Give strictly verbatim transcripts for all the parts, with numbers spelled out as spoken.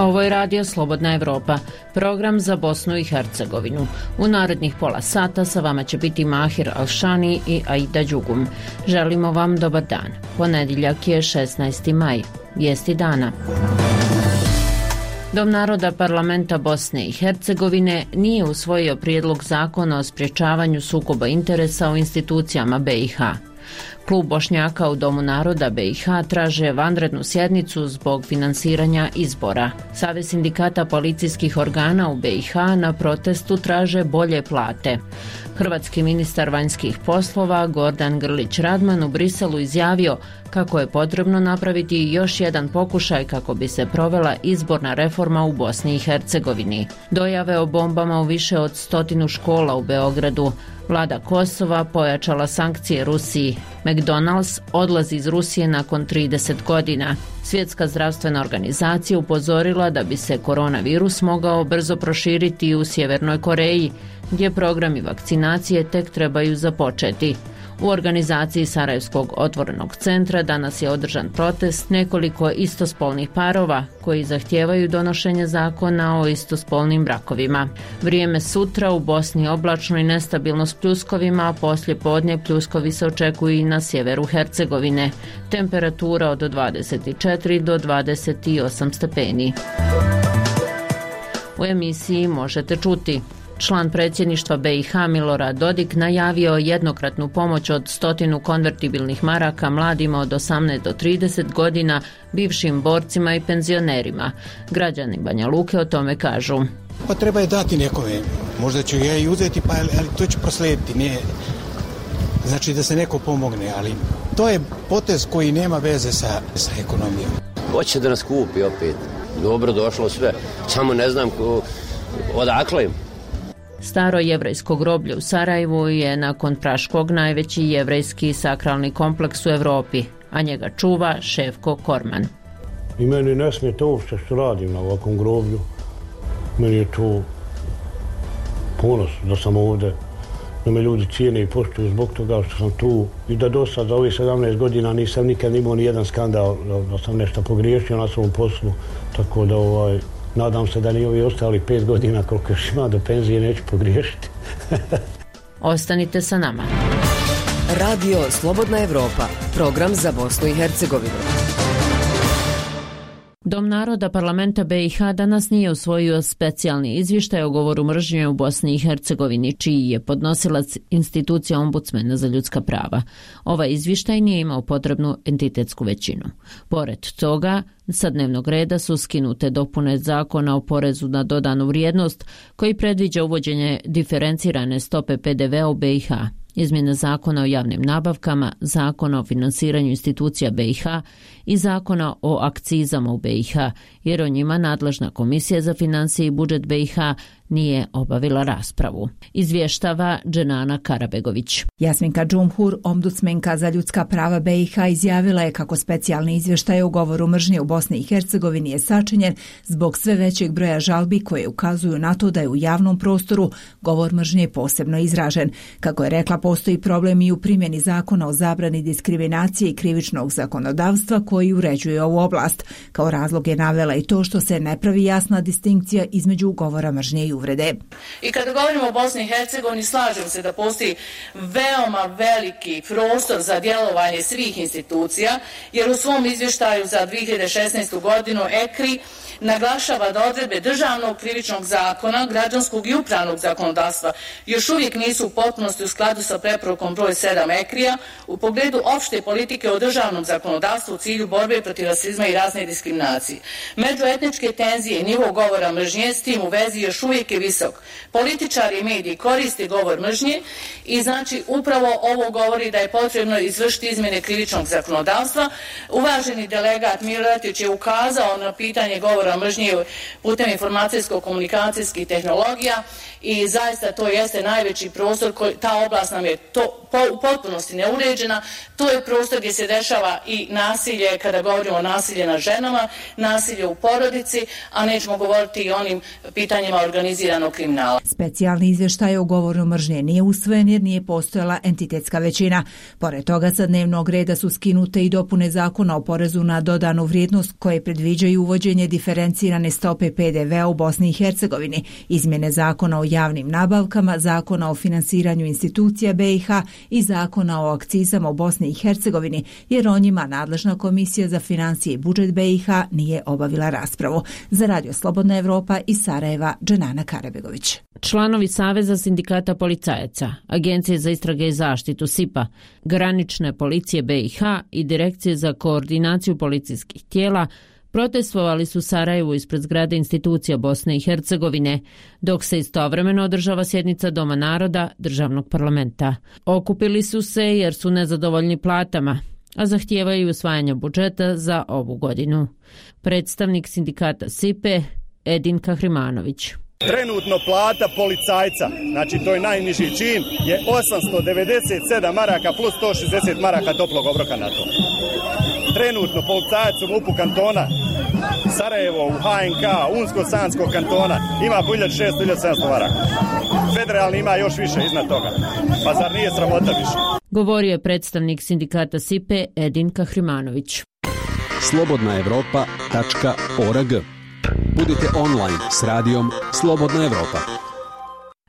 Ovo je Radio Slobodna Evropa, program za Bosnu i Hercegovinu. U narednih pola sata sa vama će biti Mahir Alšani i Aida Đugum. Želimo vam dobar dan. Ponedjeljak je šesnaesti maj. Vijesti dana. Dom naroda Parlamenta Bosne i Hercegovine nije usvojio prijedlog zakona o sprječavanju sukoba interesa u institucijama B i H. Klub Bošnjaka u Domu naroda B i H traže vanrednu sjednicu zbog finansiranja izbora. Savez sindikata policijskih organa u B i H na protestu traže bolje plate. Hrvatski ministar vanjskih poslova Gordan Grlić Radman u Briselu izjavio kako je potrebno napraviti još jedan pokušaj kako bi se provela izborna reforma u Bosni i Hercegovini. Dojave o bombama u više od stotinu škola u Beogradu. Vlada Kosova pojačala sankcije Rusiji. McDonald's odlazi iz Rusije nakon trideset godina. Svjetska zdravstvena organizacija upozorila da bi se koronavirus mogao brzo proširiti i u Sjevernoj Koreji, gdje programi vakcinacije tek trebaju započeti. U organizaciji Sarajevskog otvorenog centra danas je održan protest nekoliko istospolnih parova koji zahtijevaju donošenje zakona o istospolnim brakovima. Vrijeme sutra u Bosni oblačno i nestabilno s pljuskovima, a poslije podne pljuskovi se očekuju i na sjeveru Hercegovine. Temperatura od dvadeset četiri do dvadeset osam stepeni. U emisiji možete čuti: član predsjedništva B i H Milorad Dodik najavio jednokratnu pomoć od stotinu konvertibilnih maraka mladima od osamnaest do trideset godina, bivšim borcima i penzionerima. Građani Banja Luke o tome kažu: Pa treba je dati nekome. Možda ću ja i uzeti, pa ali to ću proslijediti. Ne, znači da se neko pomogne, ali to je potez koji nema veze sa, sa ekonomijom. Hoće da nas kupi opet. Dobro došlo sve. Samo ne znam ko, odakle im. Staro jevrejsko groblje u Sarajevu je nakon Praškog najveći jevrejski sakralni kompleks u Europi, a njega čuva Šefko Korman. I meni ne smije to uopšte što radim na ovakvom groblju. Meni je to ponos da sam ovdje, da me ljudi cijene i poštuju zbog toga što sam tu i da do sad za ovih sedamnaest godina nisam nikad imao ni jedan skandal da sam nešto pogriješio na svom poslu, tako da ovaj, nadam se da ni ovi ostali pet godina koliko još ima do penzije neću pogriješiti. Ostanite sa nama. Radio Slobodna Evropa, program za Bosnu i Hercegovinu. Dom naroda Parlamenta B i H danas nije usvojio specijalni izvještaj o govoru mržnje u Bosni i Hercegovini, čiji je podnosilac institucija ombudsmena za ljudska prava. Ovaj izvještaj nije imao potrebnu entitetsku većinu. Pored toga, sa dnevnog reda su skinute dopune zakona o porezu na dodanu vrijednost, koji predviđa uvođenje diferencirane stope P D V-a u B i H, izmjene zakona o javnim nabavkama, zakona o finansiranju institucija B i H i zakona o akcizama u B i H, jer o njima nadležna Komisija za financije i budžet B i H nije obavila raspravu. Izvještava Dženana Karabegović. Jasminka Džumhur, ombudsmenka za ljudska prava B i H, izjavila je kako specijalni izvještaj o govoru mržnje u Bosni i Hercegovini je sačinjen zbog sve većeg broja žalbi koje ukazuju na to da je u javnom prostoru govor mržnje posebno izražen. Kako je rekla, postoji problem i u primjeni zakona o zabrani diskriminacije i krivičnog zakonodavstva koji uređuje ovu oblast. Kao razlog je navela i to što se ne pravi jasna distinkcija između govora mržnje i uvrede. I kada govorimo o Bosni i Hercegovini, slažem se da postoji veoma veliki prostor za djelovanje svih institucija, jer u svom izvještaju za dvije hiljade šesnaestu godinu E K R I naglašava da odredbe državnog krivičnog zakona, građanskog i upravnog zakonodavstva još uvijek nisu u potpunosti u skladu sa preporukom broj sedam E K R I-a u pogledu opšte politike o državnom zakonodavstvu u cilju borbe protiv rasizma i razne diskriminacije. Međuetničke tenzije i nivo govora mržnje s tim u vezi još uvijek je visok. Političari i mediji koriste govor mržnje i znači upravo ovo govori da je potrebno izvršiti izmjene krivičnog zakonodavstva. Uvaženi delegat Miloradić je ukazao na pitanje govora mržnje putem informacijsko-komunikacijskih tehnologija i zaista to jeste najveći prostor, koji, ta oblast nam je to, po, u potpunosti neuređena. To je prostor gdje se dešava i nasilje, kada govorimo o nasilje nad ženama, nasilje u porodici, a nećemo govoriti i o onim pitanjima organiziranog organiziranog kriminala. Specijalni izvještaj o govoru mržnje nije usvojen jer nije postojala entitetska većina. Pored toga sa dnevnog reda su skinute i dopune zakona o porezu na dodanu vrijednost koje predviđaju uvođenje diferencirane stope P D V-a u Bosni i Hercegovini, izmjene zakona o javnim nabavkama, zakona o finansiranju institucija B i H i zakona o akcizama u Bosni i Hercegovini, jer o njima nadležna komisija za financije i budžet B i H nije obavila raspravu. Za Radio Slobodna Evropa iz Sarajeva, Dženana Karabegović. Članovi Saveza sindikata policajaca, Agencije za istrage i zaštitu S I P-a, Granične policije B i H i Direkcije za koordinaciju policijskih tijela protestovali su u Sarajevu ispred zgrade institucija Bosne i Hercegovine, dok se istovremeno održava sjednica Doma naroda državnog parlamenta. Okupili su se jer su nezadovoljni platama, a zahtijevaju usvajanje budžeta za ovu godinu. Predstavnik sindikata S I P E Edin Kahrimanović. Trenutno plata policajca, znači to je najniži čin, je osamsto devedeset sedam maraka plus sto šezdeset maraka toplog obroka na to. Trenutno policajac u MUP-u kantona Sarajevo, u H N K, Unsko-Sanskog kantona ima po hiljadu šesto do hiljadu sedamsto maraka. Federalni ima još više iznad toga. Pa zar nije sramota više? Govorio je predstavnik sindikata S I P E Edin Kahrimanović. slobodna evropa tačka org. Budite online s radijom Slobodna Evropa.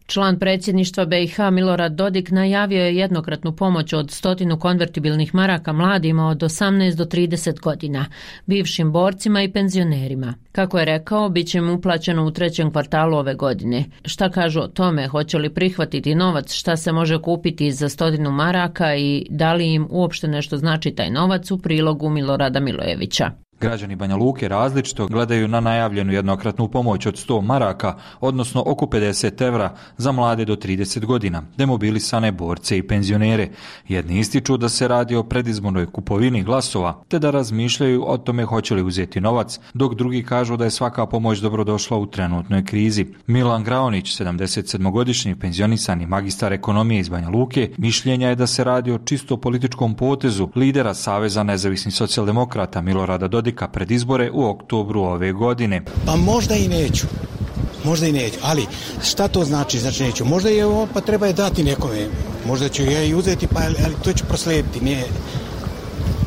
Član predsjedništva B i H Milorad Dodik najavio je jednokratnu pomoć od stotinu konvertibilnih maraka mladima od osamnaest do trideset godina, bivšim borcima i penzionerima. Kako je rekao, bit će im uplaćeno u trećem kvartalu ove godine. Šta kažu o tome, hoće li prihvatiti novac, šta se može kupiti za stotinu maraka i da li im uopšte nešto znači taj novac, u prilogu Milorada Milojevića. Građani Banja Luke različito gledaju na najavljenu jednokratnu pomoć od sto maraka, odnosno oko pedeset evra za mlade do trideset godina, demobilisane borce i penzionere. Jedni ističu da se radi o predizbornoj kupovini glasova, te da razmišljaju o tome hoće li uzeti novac, dok drugi kažu da je svaka pomoć dobrodošla u trenutnoj krizi. Milan Graonić, sedamdesetsedmogodišnji penzionisani magistar ekonomije iz Banja Luke, mišljenja je da se radi o čisto političkom potezu lidera Saveza nezavisnih socijaldemokrata Milorada Dodika pred izbore u oktobru ove godine. Pa možda i neću. Možda i neću, ali šta to znači? Znači neću. Možda je ovo, pa treba je dati nekome. Možda ću ja i uzeti, pa ali to ću proslijediti. Nije,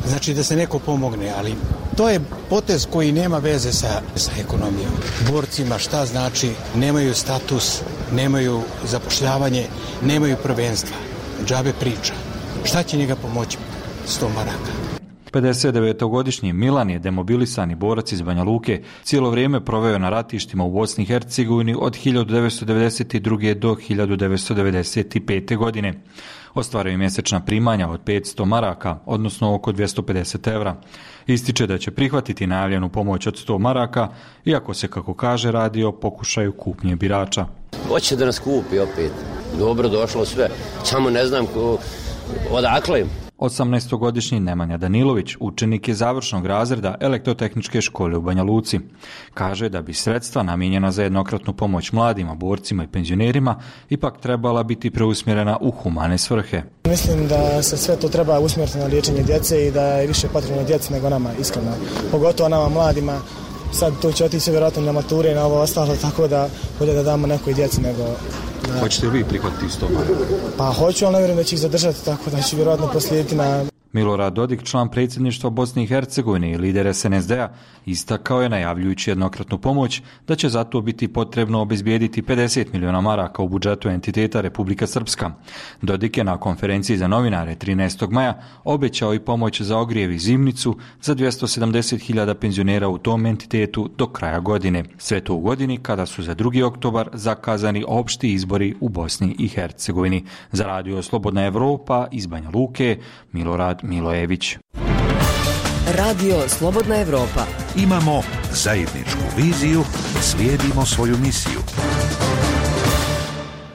znači da se neko pomogne, ali to je potez koji nema veze sa, sa ekonomijom. Borcima šta znači? Nemaju status, nemaju zapošljavanje, nemaju prvenstva. Džabe priča. Šta će njega pomoći? sto maraka. pedesetdevetogodišnji Milan je demobilisani borac iz Banja Luke, cijelo vrijeme proveo na ratištima u Bosni i Hercegovini od hiljadu devetsto devedeset druge do hiljadu devetsto devedeset pete godine. Ostvaruje mjesečna primanja od petsto maraka, odnosno oko dvjesto pedeset evra. Ističe da će prihvatiti najavljenu pomoć od sto maraka, iako se, kako kaže, radi o pokušaju kupnje birača. Hoće da nas kupi opet. Dobro došlo sve, samo ne znam ko, odakle im. osamnaestogodišnji Nemanja Danilović učenik je završnog razreda elektrotehničke škole u Banja Luci. Kaže da bi sredstva namijenjena za jednokratnu pomoć mladima, borcima i penzionerima ipak trebala biti preusmjerena u humane svrhe. Mislim da se sve to treba usmjeriti na liječenje djece i da je više potrebno djeci nego nama, iskreno. Pogotovo nama mladima. Sad to će otići vjerojatno na mature i na ovo ostalo, tako da bolje da damo nekoj djeci nego... Da. Hoćete li vi prihvatiti sto maraka? Pa hoću, ali ne vjerujem da će ih zadržati, tako da ću vjerojatno proslijediti na... Milorad Dodik, član predsjedništva Bosne i Hercegovine i lider S N S D-a, istakao je, najavljujući jednokratnu pomoć, da će zato biti potrebno obezbijediti pedeset miliona maraka u budžetu entiteta Republika Srpska. Dodik je na konferenciji za novinare trinaestog maja obećao i pomoć za ogrijev i zimnicu za dvjesto sedamdeset hiljada penzionera u tom entitetu do kraja godine. Sve to u godini kada su za drugi oktobar zakazani opšti izbori u Bosni i Hercegovini. Za Radio Slobodna Evropa iz Banja Luke, Milorad Milojević. Radio Slobodna Evropa. Imamo zajedničku viziju, slijedimo svoju misiju.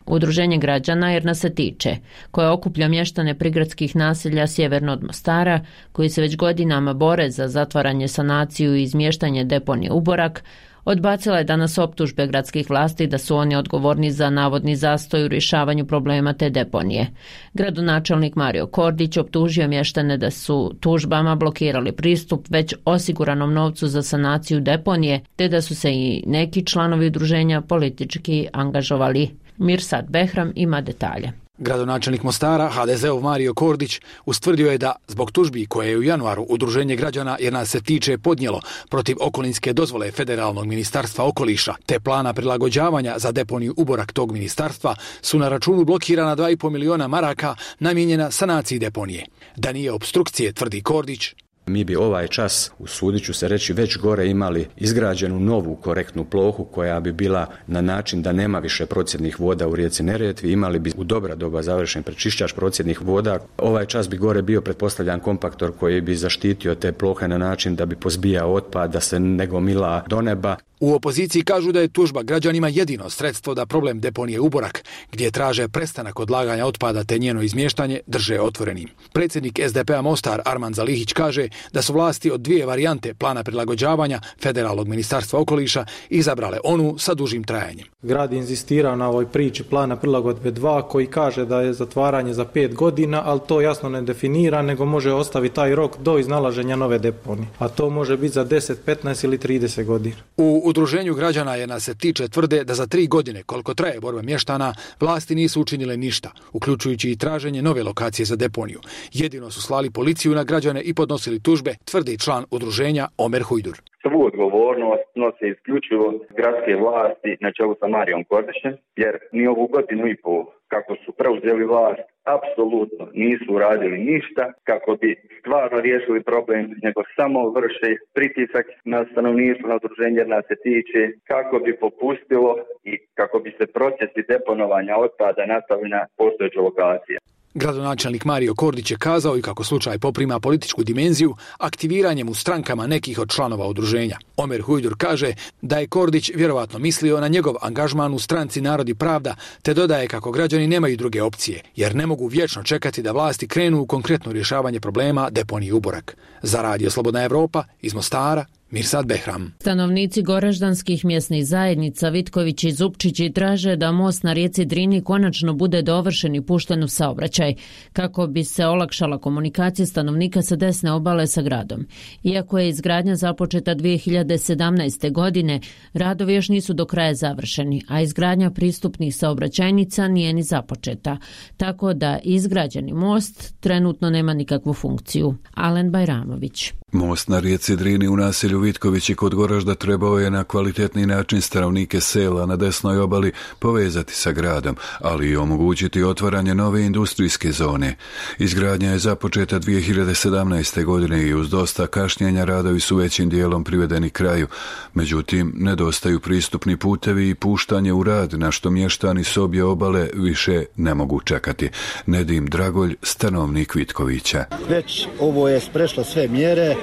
Udruženje građana Jer nas se tiče, koje okuplja mještane prigradskih naselja sjeverno od Mostara, koji se već godinama bore za zatvaranje, sanaciju i izmještanje deponije Uborak, Odbacila je danas optužbe gradskih vlasti da su oni odgovorni za navodni zastoj u rješavanju problema te deponije. Gradonačelnik Mario Kordić optužio mještane da su tužbama blokirali pristup već osiguranom novcu za sanaciju deponije, te da su se i neki članovi udruženja politički angažovali. Mirsad Behram ima detalje. Gradonačelnik Mostara, ha de zeov Mario Kordić, ustvrdio je da zbog tužbi koje je u januaru Udruženje građana jer nas se tiče podnijelo protiv okolinske dozvole Federalnog ministarstva okoliša te plana prilagođavanja za deponiju uborak tog ministarstva su na računu blokirana dva i pol miliona maraka namijenjena sanaciji deponije. Da nije opstrukcije, tvrdi Kordić, mi bi ovaj čas, usudit ću se reći, već gore imali izgrađenu novu korektnu plohu koja bi bila na način da nema više procjednih voda u rijeci Neretvi, imali bi u dobra doba završen prečišćač procjednih voda. Ovaj čas bi gore bio pretpostavljan kompaktor koji bi zaštitio te plohe na način da bi pozbijao otpad, da se ne gomila do neba. U opoziciji kažu da je tužba građanima jedino sredstvo da problem deponije Uborak, gdje traže prestanak odlaganja otpada te njeno izmještanje, drže otvorenim. Predsjednik es de pe a Mostar Arman Zalihić kaže da su vlasti od dvije varijante plana prilagođavanja Federalnog ministarstva okoliša izabrale onu sa dužim trajanjem. Grad inzistira na ovoj priči plana prilagodbe dva koji kaže da je zatvaranje za pet godina, ali to jasno ne definira, nego može ostaviti taj rok do iznalaženja nove deponije. A to može biti za deset, petnaest ili trideset godina. U Udruženju građana je nas se tiče tvrde da za tri godine, koliko traje borba mještana, vlasti nisu učinile ništa, uključujući i traženje nove lokacije za deponiju. Jedino su slali policiju na građane i podnosili tužbe, tvrdi član udruženja Omer Hujdur. Svu odgovornost nose isključivo gradske vlasti na čelu sa Marijom Kordićem, jer ni ovu godinu i pol kako su preuzeli vlast, apsolutno nisu uradili ništa kako bi stvarno riješili problem, nego samo vrše pritisak na stanovništvo, na udruženje jer nas se tiče, kako bi popustilo i kako bi se procesi deponovanja otpada nastavili na postojeću lokaciju. Gradonačelnik Mario Kordić je kazao i kako slučaj poprima političku dimenziju aktiviranjem u strankama nekih od članova udruženja. Omer Hujdur kaže da je Kordić vjerovatno mislio na njegov angažman u stranci Narod i pravda, te dodaje kako građani nemaju druge opcije, jer ne mogu vječno čekati da vlasti krenu u konkretno rješavanje problema deponije Uborak. Za Radio Slobodna Evropa iz Mostara, Mirsad Behram. Stanovnici goraždanskih mjesnih zajednica Vitković i Zupčići traže da most na rijeci Drini konačno bude dovršen i pušten u saobraćaj, kako bi se olakšala komunikacija stanovnika sa desne obale sa gradom. Iako je izgradnja započeta dvije hiljade sedamnaeste. godine, radovi još nisu do kraja završeni, a izgradnja pristupnih saobraćajnica nije ni započeta, tako da izgrađeni most trenutno nema nikakvu funkciju. Alen Bajramović. Most na rijeci Drini u naselju Vitkovići kod Goražda trebao je na kvalitetni način stanovnike sela na desnoj obali povezati sa gradom, ali i omogućiti otvaranje nove industrijske zone. Izgradnja je započeta dvije hiljade sedamnaeste. godine i uz dosta kašnjenja radovi su većim dijelom privedeni kraju. Međutim, nedostaju pristupni putevi i puštanje u rad, na što mještani s obje obale više ne mogu čekati. Nedim Dragolj, stanovnik Vitkovića. Već ovo je prešlo sve mjere.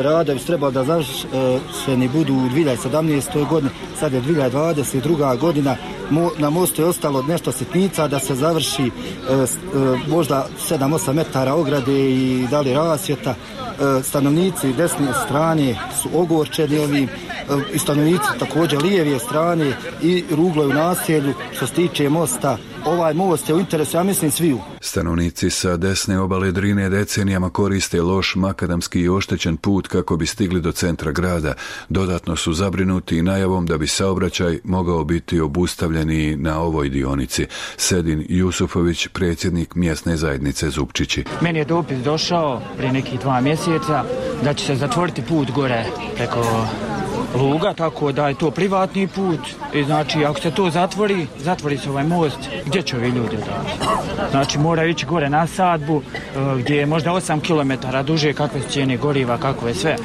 Radovi treba da završeni budu u dvije hiljade sedamnaeste. godini, sad je dvije hiljade dvadeset druga. godina, na mostu je ostalo nešto sitnica da se završi možda sedam osam metara ograde i dalje rasvjeta. Stanovnici desne strane su ogorčeni ovim i stanovnici također lijeve strane i ruglo je u naselju. Što se tiče mosta, ovaj most je u interesu, ja mislim, sviju. Stanovnici sa desne obale Drine decenijama koriste loš makadamski i oštećen put kako bi stigli do centra grada. Dodatno su zabrinuti najavom da bi saobraćaj mogao biti obustavljeni na ovoj dionici. Sedin Jusufović, predsjednik mjesne zajednice Zupčići. Meni je dopis došao prije nekih dva mjeseca da će se zatvoriti put gore preko Luga, tako da je to privatni put i znači ako se to zatvori, zatvori se ovaj most, gdje će ovi ljudi odavati? Znači moraju ići gore na sadbu gdje je možda osam kilometara duže, kakve su cijene goriva, kakve sve.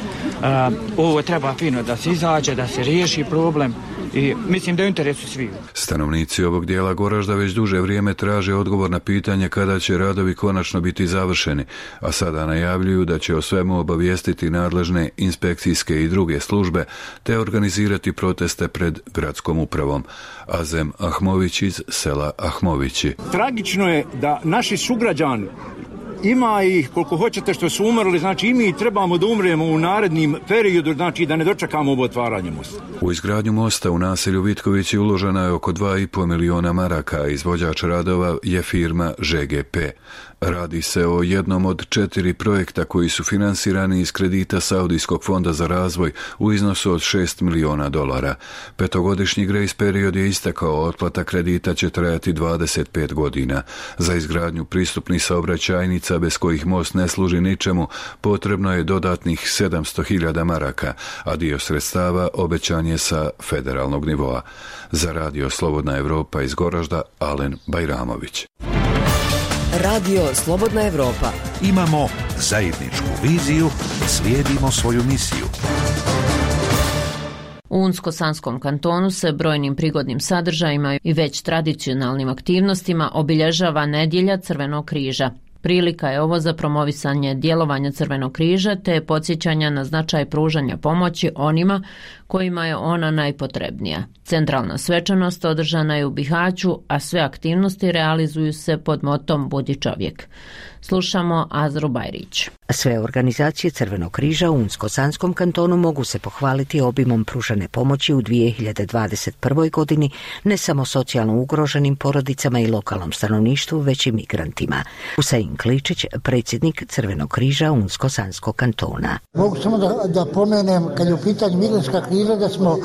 Ovo treba fino da se izađe, da se riješi problem i mislim da je u interesu svih. Stanovnici ovog dijela Goražda već duže vrijeme traže odgovor na pitanje kada će radovi konačno biti završeni, a sada najavljuju da će o svemu obavijestiti nadležne inspekcijske i druge službe te organizirati proteste pred gradskom upravom. Azem Ahmović iz sela Ahmovići. Tragično je da naši sugrađani ima ih koliko hoćete što su umrli, znači i mi trebamo da umremo u narednim periodu, znači da ne dočekamo ovo otvaranje mosta. U izgradnju mosta u naselju Vitkovići uloženo je oko dva i pol miliona maraka, a izvođač radova je firma Ž G P. Radi se o jednom od četiri projekta koji su finansirani iz kredita Saudijskog fonda za razvoj u iznosu od šest miliona dolara. Petogodišnji grejs period je istekao, otplata kredita će trajati dvadeset pet godina. Za izgradnju pristupnih saobraćajnica bez kojih most ne služi ničemu potrebno je dodatnih sedamsto hiljada maraka, a dio sredstava obećan je sa federalnog nivoa. Za Radio Slobodna Evropa iz Goražda, Alen Bajramović. Radio Slobodna Evropa. Imamo zajedničku viziju, slijedimo svoju misiju. U Unsko-Sanskom kantonu se brojnim prigodnim sadržajima i već tradicionalnim aktivnostima obilježava Nedjelja Crvenog križa. Prilika je ovo za promovisanje djelovanja Crvenog križa te podsjećanja na značaj pružanja pomoći onima kojima je ona najpotrebnija. Centralna svečanost održana je u Bihaću, a sve aktivnosti realizuju se pod motom Budi čovjek. Slušamo Azru Bajrić. Sve organizacije Crvenog križa u Unsko-Sanskom kantonu mogu se pohvaliti obimom pružane pomoći u dvije hiljade dvadeset prvoj. godini ne samo socijalno ugroženim porodicama i lokalnom stanovništvu, već i migrantima. Husein Kličić, predsjednik Crvenog križa Unsko-Sanskog kantona. Mogu samo da, da pomenem, kad je u pitanju migrantska kriza, da smo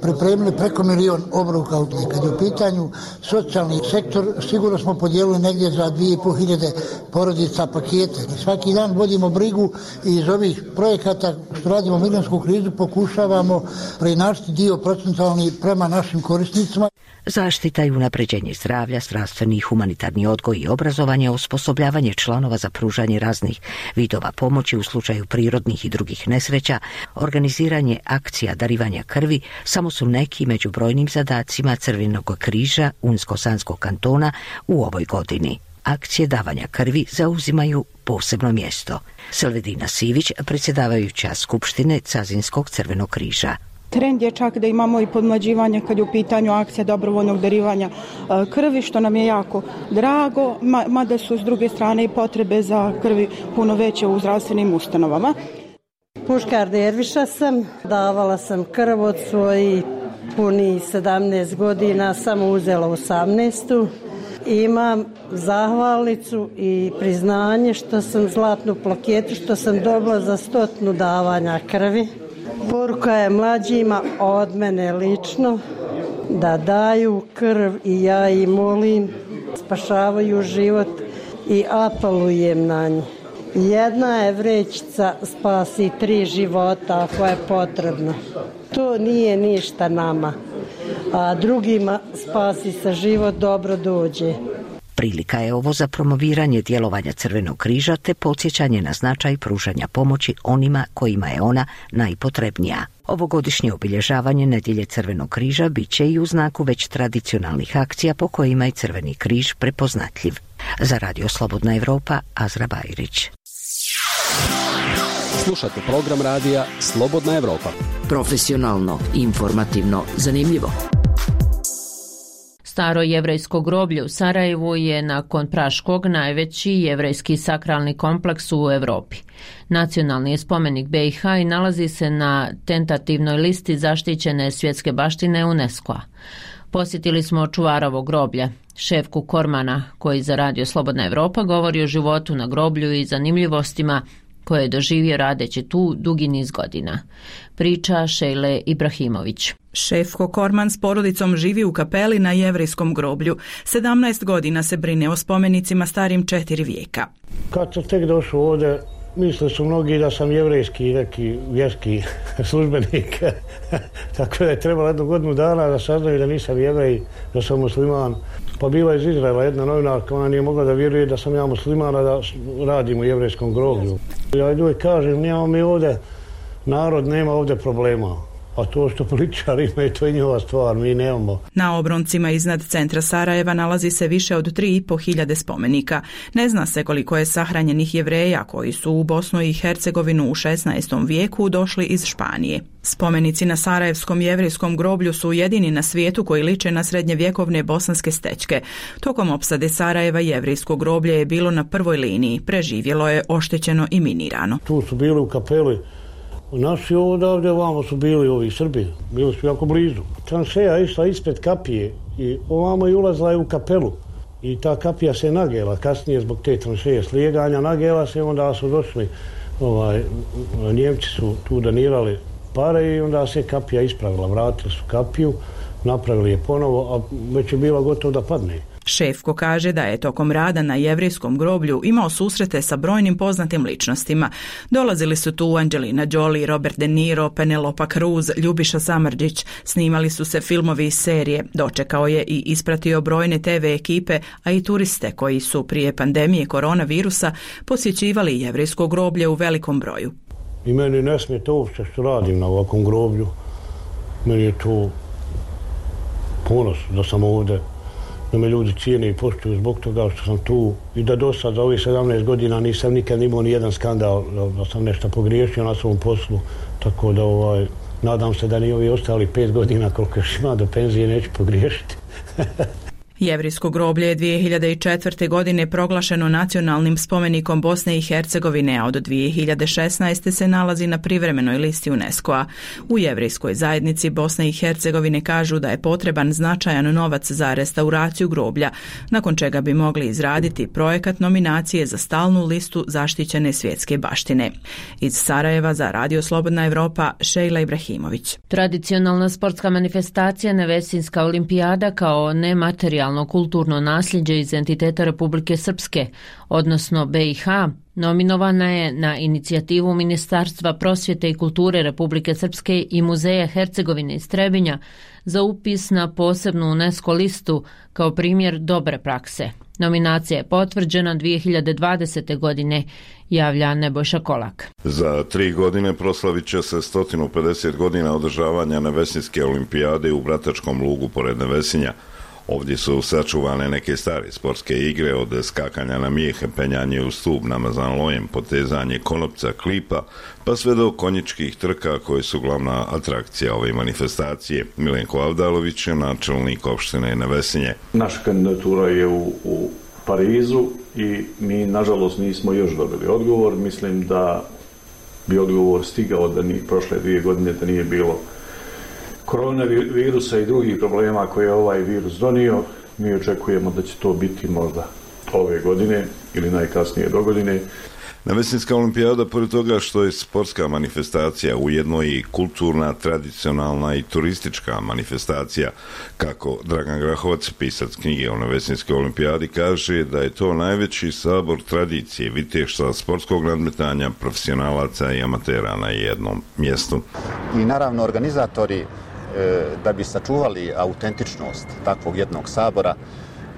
pripremili preko milion obroka. Kad je u pitanju socijalni sektor, sigurno smo podijelili negdje za dvije i pol hiljade porodica pakete. I svaki dan vodimo brigu i iz ovih projekata što radimo migrantsku krizu pokušavamo preinačiti dio procentualni prema našim korisnicima. Zaštita i unapređenje zdravlja, zdravstveni i humanitarni odgoj i obrazovanje, osposobljavanje članova za pružanje raznih vidova pomoći u slučaju prirodnih i drugih nesreća, organiziranje akcija darivanja krvi samo su neki među brojnim zadacima Crvenog križa Unsko-Sanskog kantona u ovoj godini. Akcije davanja krvi zauzimaju posebno mjesto. Selvedina Sivić, predsjedavajuća Skupštine Cazinskog Crvenog križa. Trend je čak da imamo i podmlađivanje kad je u pitanju akcija dobrovoljnog darivanja krvi, što nam je jako drago, mada su s druge strane i potrebe za krvi puno veće u zdravstvenim ustanovama. Puškar Derviša sam, davala sam krv od svojih punih sedamnaest godina, samo uzela osamnaestu. Imam zahvalnicu i priznanje što sam zlatnu plaketu, što sam dobila za stotnu davanja krvi. Poruka je mlađima od mene lično da daju krv i ja ih molim, spašavaju život i apelujem na njih. Jedna je vrećica spasi tri života ako je potrebno. To nije ništa nama, a drugima spasi se život, dobro dođe. Prilika je ovo za promoviranje djelovanja Crvenog križa te podsjećanje na značaj pružanja pomoći onima kojima je ona najpotrebnija. Ovogodišnje obilježavanje Nedjelje Crvenog križa bit će i u znaku već tradicionalnih akcija po kojima je Crveni križ prepoznatljiv. Za Radio Slobodna Evropa, Azra Bajrić. Slušate program radija Slobodna Evropa. Profesionalno, informativno, zanimljivo. Staro jevrejsko groblje u Sarajevu je nakon Praškog najveći jevrejski sakralni kompleks u Europi. Nacionalni je spomenik B i H i nalazi se na tentativnoj listi zaštićene svjetske baštine UNESCO-a. Posjetili smo čuvarovo groblje, Šefku Kormana, koji za Radio Slobodna Evropa govori o životu na groblju i zanimljivostima koje je doživio radeći tu dugi niz godina. Priča Šejle Ibrahimović. Šefko Korman s porodicom živi u kapeli na jevrejskom groblju. sedamnaest godina se brine o spomenicima starim četiri vijeka. Kad sam tek došao ovdje, mislili su mnogi da sam jevrejski neki vjerski službenik. Tako da je trebalo jednu godinu dana da saznaju da nisam jevrej, da sam musliman. Pa bila iz Izraela jedna novinarka, ona nije mogla da vjeruje da sam ja muslimana, da radim u jevrejskom groblju. Ja uvijek kažem, nemamo mi ovdje, narod nema ovdje problema. A to što političari imaju, to je njihova stvar, mi nemamo. Na obroncima iznad centra Sarajeva nalazi se više od tri i po hiljade spomenika. Ne zna se koliko je sahranjenih Jevreja koji su u Bosnu i Hercegovinu u šesnaestom vijeku došli iz Španije. Spomenici na Sarajevskom jevrijskom groblju su jedini na svijetu koji liče na srednjevjekovne bosanske stećke. Tokom opsade Sarajeva jevrijsko groblje je bilo na prvoj liniji, preživjelo je oštećeno i minirano. Tu su bili u kapeli naši odavde, ovamo su bili ovi Srbi, bili su jako blizu. Tranšeja išla ispred kapije i ovamo i ulazila je u kapelu. I ta kapija se nagela, kasnije zbog te tranšeje slijeganja nagela se, onda su došli, ovaj, Njemci su tu donirali pare i onda se kapija ispravila, vratili su kapiju, napravili je ponovo, a već je bila gotovo da padne. Šefko kaže da je tokom rada na jevrijskom groblju imao susrete sa brojnim poznatim ličnostima. Dolazili su tu Angelina Jolie, Robert De Niro, Penelope Cruz, Ljubiša Samardžić. Snimali su se filmovi i serije. Dočekao je i ispratio brojne te ve ekipe, a i turiste koji su prije pandemije koronavirusa posjećivali jevrijsko groblje u velikom broju. I meni ne smije to uopšte što radim na ovakvom groblju. Meni je to ponos da sam ovdje, da me ljudi cijene i poštuju zbog toga što sam tu i da do sad za ovih sedamnaest godina nisam nikad imao ni jedan skandal da sam nešto pogriješio na svom poslu, tako da ovaj, nadam se da ni ovi ostali pet godina koliko još ima do penzije neću pogriješiti. Jevrijsko groblje je dvije hiljade četvrte. godine proglašeno nacionalnim spomenikom Bosne i Hercegovine, a od dvije hiljade šesnaeste. se nalazi na privremenoj listi UNESCO-a. U jevrijskoj zajednici Bosne i Hercegovine kažu da je potreban značajan novac za restauraciju groblja, nakon čega bi mogli izraditi projekat nominacije za stalnu listu zaštićene svjetske baštine. Iz Sarajeva za Radio Slobodna Evropa, Šejla Ibrahimović. Tradicionalna sportska manifestacija Nevesinska olimpijada kao nematerijalna kulturno nasljeđe iz entiteta Republike Srpske, odnosno be i ha, nominovana je na inicijativu Ministarstva prosvjete i kulture Republike Srpske i Muzeja Hercegovine iz Trebinja za upis na posebnu UNESCO listu kao primjer dobre prakse. Nominacija je potvrđena dvije hiljade dvadesete. godine, javlja Nebojša Kolak. Za tri godine proslavit će se sto pedeset godina održavanja Nevesinske olimpijade u Bratačkom lugu pored Nevesinja. Ovdje su sačuvane neke stare sportske igre, od skakanja na mijehe, penjanje u stup, namazan lojem, potezanje konopca, klipa, pa sve do konjičkih trka koje su glavna atrakcija ove manifestacije. Milenko Avdalović je načelnik opštine Nevesinje. Naša kandidatura je u, u Parizu i mi nažalost nismo još dobili odgovor. Mislim da bi odgovor stigao da ni prošle dvije godine da nije bilo koronavirusa i drugih problema koje je ovaj virus donio. Mi očekujemo da će to biti možda ove godine ili najkasnije do godine. Nevesinska olimpijada, pored toga što je sportska manifestacija, ujedno i kulturna, tradicionalna i turistička manifestacija, kako Dragan Grahovac, pisac knjige o Nevesinskoj olimpijadi, kaže da je to najveći sabor tradicije, viteštva, sportskog nadmetanja, profesionalaca i amatera na jednom mjestu. I naravno organizatori, da bi sačuvali autentičnost takvog jednog sabora,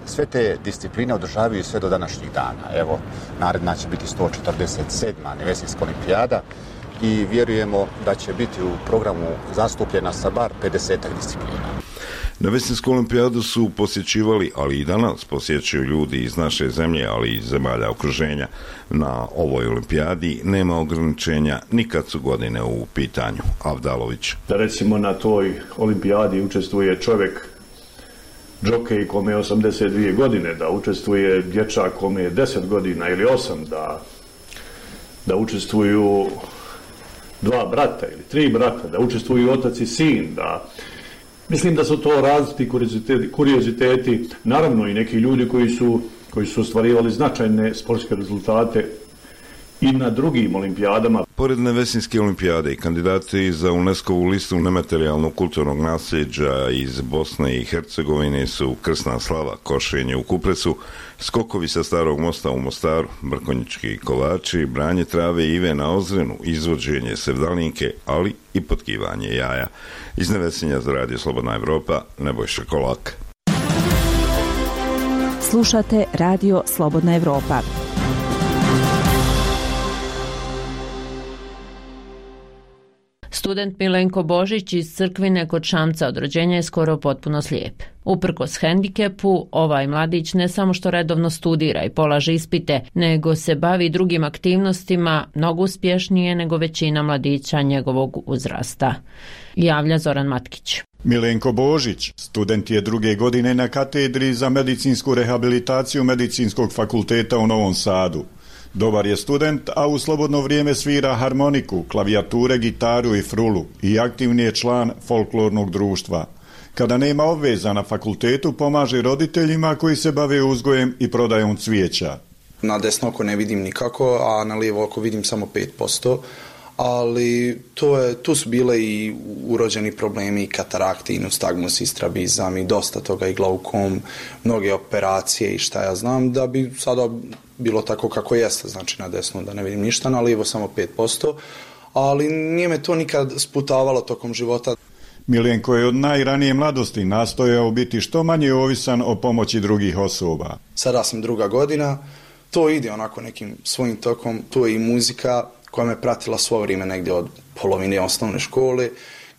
sve te discipline održavaju sve do današnjih dana. Evo, naredna će biti sto četrdeset sedma Nevesinska olimpijada i vjerujemo da će biti u programu zastupljena sa bar pedesetak disciplina. Nevesinsku olimpijadu su posjećivali, ali i danas posjećuju ljudi iz naše zemlje, ali i iz zemalja okruženja. Na ovoj olimpijadi nema ograničenja nikad su godine u pitanju. Avdalović. Da recimo na toj olimpijadi učestvuje čovjek džokej kome je osamdeset dvije godine, da učestvuje dječak kome je deset godina ili osam, da, da učestvuju dva brata ili tri brata, da učestvuju otac i sin, da mislim da su to različiti kurioziteti, kurioziteti, naravno i neki ljudi koji su, koji su ostvarivali značajne sportske rezultate i na drugim olimpijadama. Pored Nevesinske olimpijade i kandidati za UNESCO-vu listu nematerijalnog kulturnog nasljeđa iz Bosne i Hercegovine su Krsna slava, košenje u Kupresu, skokovi sa Starog mosta u Mostaru, brkonjički kolači, branje trave i ive na Ozrenu, izvođenje sevdalinke, ali i potkivanje jaja. Iz Nevesinja za Radio Slobodna Evropa, Nebojša Kolak. Slušate Radio Slobodna Evropa. Student Milenko Božić iz Crkvine kod Šamca od rođenja je skoro potpuno slijep. Uprkos hendikepu, ovaj mladić ne samo što redovno studira i polaže ispite, nego se bavi drugim aktivnostima mnogo uspješnije nego većina mladića njegovog uzrasta. Javlja Zoran Matkić. Milenko Božić, student je druge godine na katedri za medicinsku rehabilitaciju Medicinskog fakulteta u Novom Sadu. Dobar je student, a u slobodno vrijeme svira harmoniku, klavijature, gitaru i frulu i aktivni je član folklornog društva. Kada nema obveza na fakultetu, pomaže roditeljima koji se bave uzgojem i prodajom cvijeća. Na desno oko ne vidim nikako, a na lijevo oko vidim samo pet posto. Ali to je, tu su bile i urođeni problemi, i katarakti, i nustagmus, i strabizam, i dosta toga, i glaukom, mnoge operacije i šta ja znam, da bi sada bilo tako kako jeste, znači na desno da ne vidim ništa, na lijevo samo pet posto, ali nije me to nikad sputavalo tokom života. Milenko je od najranije mladosti nastojao biti što manje ovisan o pomoći drugih osoba. Sada sam druga godina, to ide onako nekim svojim tokom, to je i muzika koja me pratila svo vrijeme negdje od polovine osnovne škole,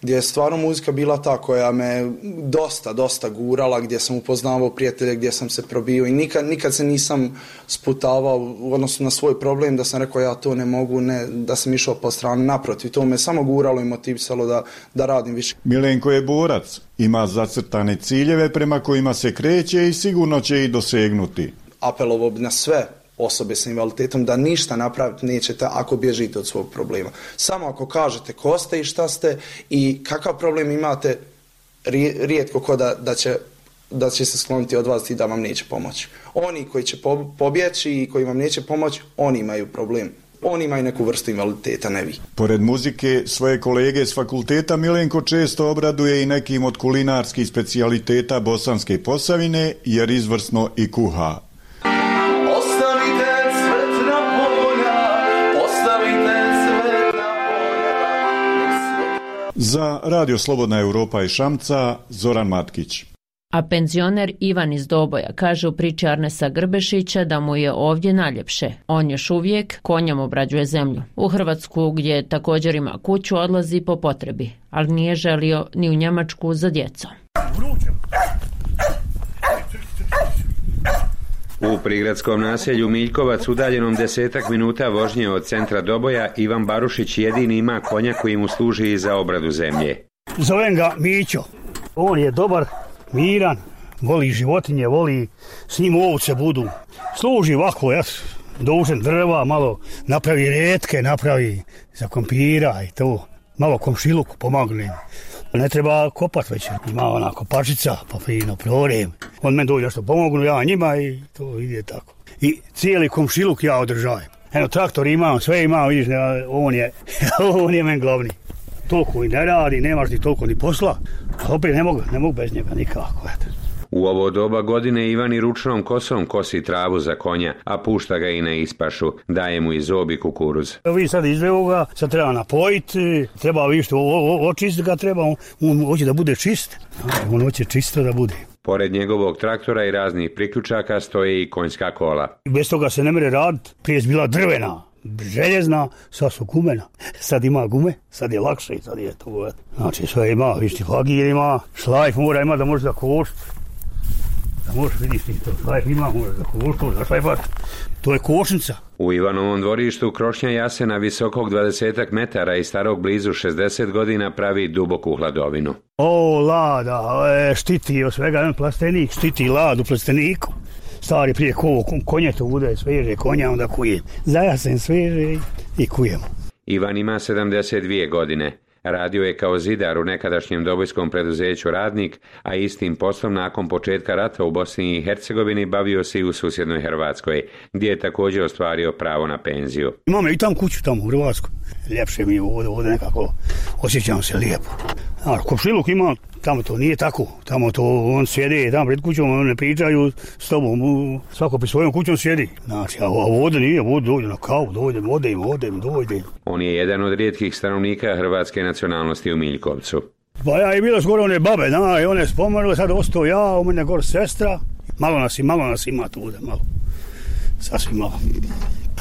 gdje je stvarno muzika bila ta koja me dosta, dosta gurala, gdje sam upoznavao prijatelje, gdje sam se probio i nikad, nikad se nisam sputavao u odnosu na svoj problem da sam rekao ja to ne mogu, ne, da sam išao po stranu, naprotiv, to me samo guralo i motivisalo da, da radim više. Milenko je borac, ima zacrtane ciljeve prema kojima se kreće i sigurno će ih dosegnuti. Apelovao bi na sve osobe sa invaliditetom da ništa napraviti nećete ako bježite od svog problema. Samo ako kažete ko ste i šta ste i kakav problem imate, rijetko ko da, da, će, da će se skloniti od vas i da vam neće pomoći. Oni koji će pobjeći i koji vam neće pomoći, oni imaju problem. Oni imaju neku vrstu invaliditeta, ne vi. Pored muzike, svoje kolege s fakulteta Milenko često obraduje i nekim od kulinarskih specijaliteta Bosanske Posavine, jer izvrsno i kuha. Za Radio Slobodna Europa i Šamca, Zoran Matkić. A penzioner Ivan iz Doboja kaže u priči Arnesa Grbešića da mu je ovdje najljepše. On još uvijek konjem obrađuje zemlju. U Hrvatsku, gdje također ima kuću, odlazi po potrebi, ali nije želio ni u Njemačku za djecom. U prigradskom naselju Miljkovac, udaljenom desetak minuta vožnje od centra Doboja, Ivan Barušić jedini ima konja koji mu služi za obradu zemlje. Zovem ga Mićo. On je dobar, miran, voli životinje, voli s njim ovce budu. Služi ovako, ja dužem drva, malo napravi retke, napravi za kompira i to. Malo komšiluku pomogne. Ne treba kopat već, ima ona kopačica, pa fino prorem. On meni dođe što pomognu, ja njima i to ide tako. I cijeli komšiluk ja održajem. Eno, traktor imam, sve imam, vidiš, on je, on je meni glavni. Toliko i ne radi, nemaš ni toliko ni posla, a opet ne mogu, ne mogu bez njega nikako. Eto. U ovo doba godine Ivan i ručnom kosom kosi travu za konja, a pušta ga i na ispašu, daje mu i zob i kukuruz. Vi sad izveo ga, sad treba napojiti, treba više očistiti ga, treba, on, on hoće da bude čist, on hoće čisto da bude. Pored njegovog traktora i raznih priključaka stoje i konjska kola. Bez toga se ne mere raditi, prije je bila drvena, željezna, sad su gumena. Sad ima gume, sad je lakše i sad je to. Znači sve ima, višti fagir ima, šlajf mora ima da može da košt. Da možeš vidiš ti to, šlajf ima, može da košt, da šlajfat. To je košnica. U Ivanovom dvorištu krošnja jasena visokog dvadesetak metara i starog blizu šezdeset godina pravi duboku hladovinu. O, lada, e, štiti od svega, plastenik, štiti ladu plasteniku. Stari prije kovo, konje to bude, sveže konja, onda kujem. Zajasen sveže i kujem. Ivan ima sedamdeset dvije godine. Radio je kao zidar u nekadašnjem dobojskom preduzeću Radnik, a istim poslom nakon početka rata u Bosni i Hercegovini bavio se i u susjednoj Hrvatskoj, gdje je također ostvario pravo na penziju. Imam i tam kuću tamo u Hrvatskoj. Ljepše mi je ovdje, ovdje nekako osjećam se lijepo. A komšiluk ima, tamo to nije tako. Tamo to on sjede tamo pred kućom, on ne pričaju s tobom, svako pri svojom kućom sjedi. Znači, a ovdje nije, ovdje dođe na kavu, dođem, odem, odem, dođem. On je jedan od rijetkih stanovnika hrvatske nacionalnosti u Miljkovcu. Pa ja je bilo skoro one babe, da, i one spomenule, sad ostao ja, u mene gore sestra. Malo nas, malo nas ima tu, malo. Sasvim malo.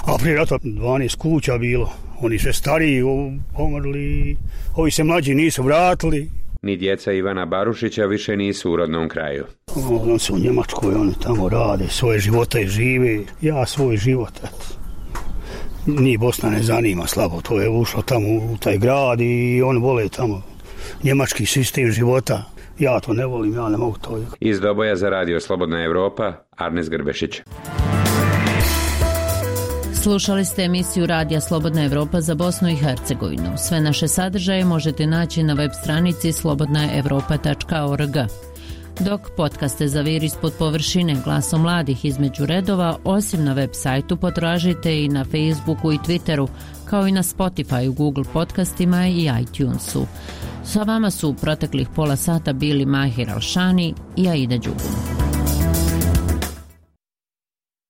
A prije rata dvanaest kuća bilo, Oni sve stariji pomrli, ovi se mlađi nisu vratili. Ni djeca Ivana Barušića više nisu u rodnom kraju. On su u Njemačkoj, oni tamo rade, svoje živote žive, ja svoj život, eto. Ni Bosna ne zanima slabo, to je ušlo tamo u taj grad i on vole tamo njemački sistem života. Ja to ne volim, ja ne mogu to. Iz Doboja za radio Slobodna Evropa, Arnes Grbešić. Slušali ste emisiju Radija Slobodna Evropa za Bosnu i Hercegovinu. Sve naše sadržaje možete naći na web stranici slobodna evropa tačka org. Dok podcaste Zavir ispod površine, Glasom mladih između redova, osim na web sajtu potražite i na Facebooku i Twitteru, kao i na Spotify, Google podcastima i iTunesu. Sa vama su u proteklih pola sata bili Mahir Alšani i Aida Đugum.